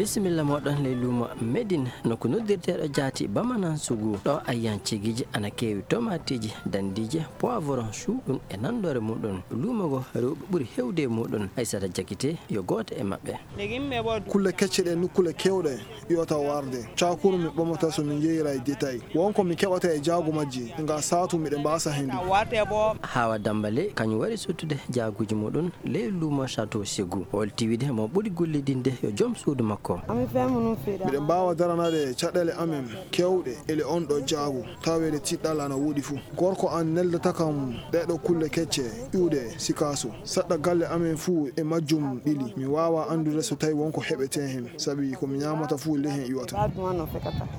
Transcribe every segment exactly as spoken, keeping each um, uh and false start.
Bisimilla mooɗon ley luumo Medin, nokku noddirteeɗo jaati Bamanan Sugu. Ɗo ayyan cigiji ana keewi, tomaatiiji, dandiije, poivron, cuuɗum e nandoore muɗum. Luumo ngo rewɓe ɓuri hewde e muɗum. Aysata Jakite yo gooto e maɓɓe. Kulle kecce ɗe nokkuule keewɗe iwata warde. Cakuru mi ɓamata so mi njeyira e détail. Won ko mi keɓata e jaagu majji, nga saatu miɗe mbaasa hendu. Hawa Dambale kañum wari sottude jaaguuji muɗum ley luumo Château Ségou. O holti wiide mo ɓuri gollidinde yo joom suudu makko. Miɗe mbaawa daranaade caɗeele amen keewɗe ele on ɗo jaagu, taweede tiɗɗal ana woodi fuu. Gorko an neldata kam ɗee ɗo kulle kecce iwde Sikaso. Saɗɗa galle amen fuu e majjum ɓili. Mi waawaa anndude so tawi won ko heɓetee heen, sabi ko mi ñaamata fuu ley heen iwata.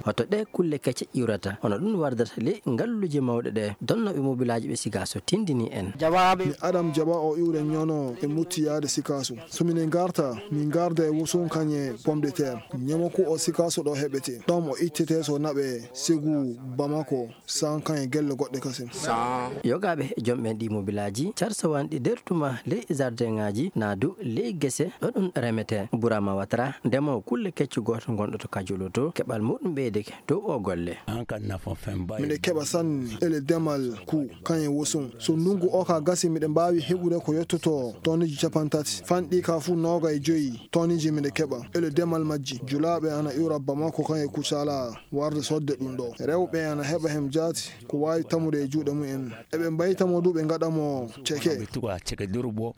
Hoto ɗee kulle kecce iwrata, hono ɗum wardata ley ngalluuje mawɗe ɗe donnooɓe mobilaaji ɓe Sikaso tindini en. Mi Adam Jaba o iwre ñono e mutti yaade Sikaso. So mine ngarta, min ngarda e wusun kañe pomme de terre. Ñamaku o Sikaso ɗo heɓete. Ɗon o ittete so naɓe Segu, Bamako, Sankan e gelle goɗɗe kasen. Yogaaɓe e joom ɓen ɗi mobilaaji, carsawanɗi nder tuma ley jardin ŋaaji, naa du ley gese ɗo ɗum remetee. Burama Watara, ndemoowo kulle kecce gooto ngonɗo to Kajolo to, keɓal muɗum ɓeydeke dow o golle. Miɗe keɓa sanne ele demal ku kañe wosun. So ndungu o ka gasi miɗe mbaawi heɓude ko yottoto tonneji capanɗe tati. Fanɗi ka fuu nooga e joyi tonneji miɗe keɓa ele demal majji. Julaaɓe ana iwra Bamako kañe Kucala warde sodde ɗum ɗo. Rewɓe ana heɓa hem jaati ko waawi tamude e juuɗe mumen. Eɓe mbayta mo du ɓe ngaɗa mo ceke.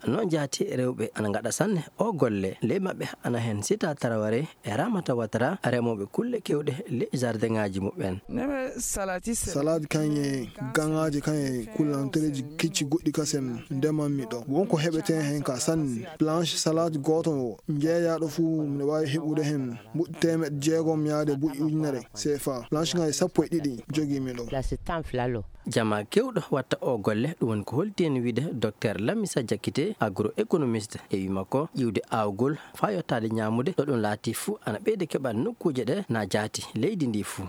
Noon jaati rewɓe ana ngaɗa sanne o golle. Ley maɓɓe ana heen Sita Taraware e Ramata Watara, remooɓe kulle keewɗe ley jardin ŋaaji muɓɓen. Salade kañe gaŋaaji kañe kullantereeji kecci goɗɗi kasen ndemanmi ɗo. Won ko heɓetee heen ka sanne. Planche salade gooto njeeyaaɗo fuu miɗo waawi heɓude heen mbuɗ teemeɗɗe jeegom yaade mbuɗ ujunere C F A. Planche ŋaaji sappo e ɗiɗi jogiimi ɗo. Jamaa keewɗo watta o golle, ɗum woni ko holti en wiide Doktor Lamisa Jakite, agroéconomiste, e wi makko ƴiwde aawgol faa yottaade ñaamude ɗo ɗum laati fuu ana ɓeyda keɓal nokkuuje ɗe na jaati leydi ndi fuu.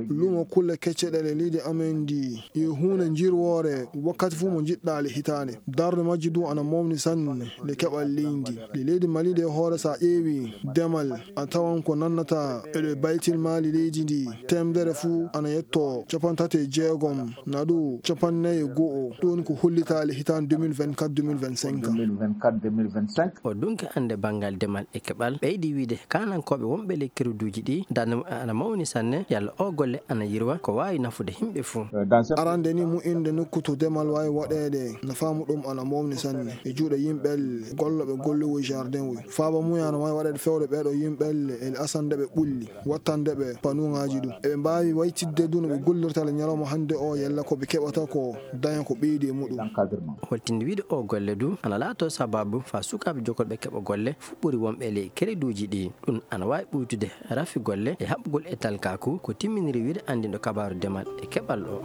Lumo kulle kecce ɗe le leydi amen ndi yo huunde njirwoore wakkati fuu mo njiɗɗaa le hitaande. Darnde majji du ana mawni sanne le keɓal leydi ndi. Le leydi Mali de hoore so a ƴeewi demal a tawan ko nannata e le baytil maali leydi ndi. Teemdere fuu ana yetto capanɗe tati e jeegom, na ɗu capanɗe nayi e go'o. Ɗum woni ko hollitaali hitaande deux mille vingt-quatre deux mille vingt-cinq. O dunki annde banngal demal e keɓal, ɓeydi wiide kaanankooɓe wonɓe ley kerduuji ɗi, darnde muɓɓen ana mawni sanne, yalla o golle ana yirwa, ko waawi nafude yimɓe fuu. Arande ni mu'inde nokku to demal waawi waɗeede, nafaa muɗum ana mawni sanne e juuɗe yimɓe gollooɓe golluwo jardin wi. Faaba mum ana waawi waɗeede fewde ɓee ɗo yimɓe e asande ɓe ɓulli, wattande ɓe panuŋaaji ɗum. Eɓe mbaawi waytidde du no ɓe gollirta le ñalawma hannde o, yalla ko ɓe keɓata ko daña ko ɓeydi e muɗum. Holtinde wiide o golle du ana laato sababu faa sukaaɓe jokolɓe keɓa golle fuu ɓuri wonɓe ley kerduuji ɗi. Ɗum ana waawi ɓuytude rafi golle e haɓugol e talkaaku, ko timminiri wiide anndinɗo kabaaru demal e keɓal o.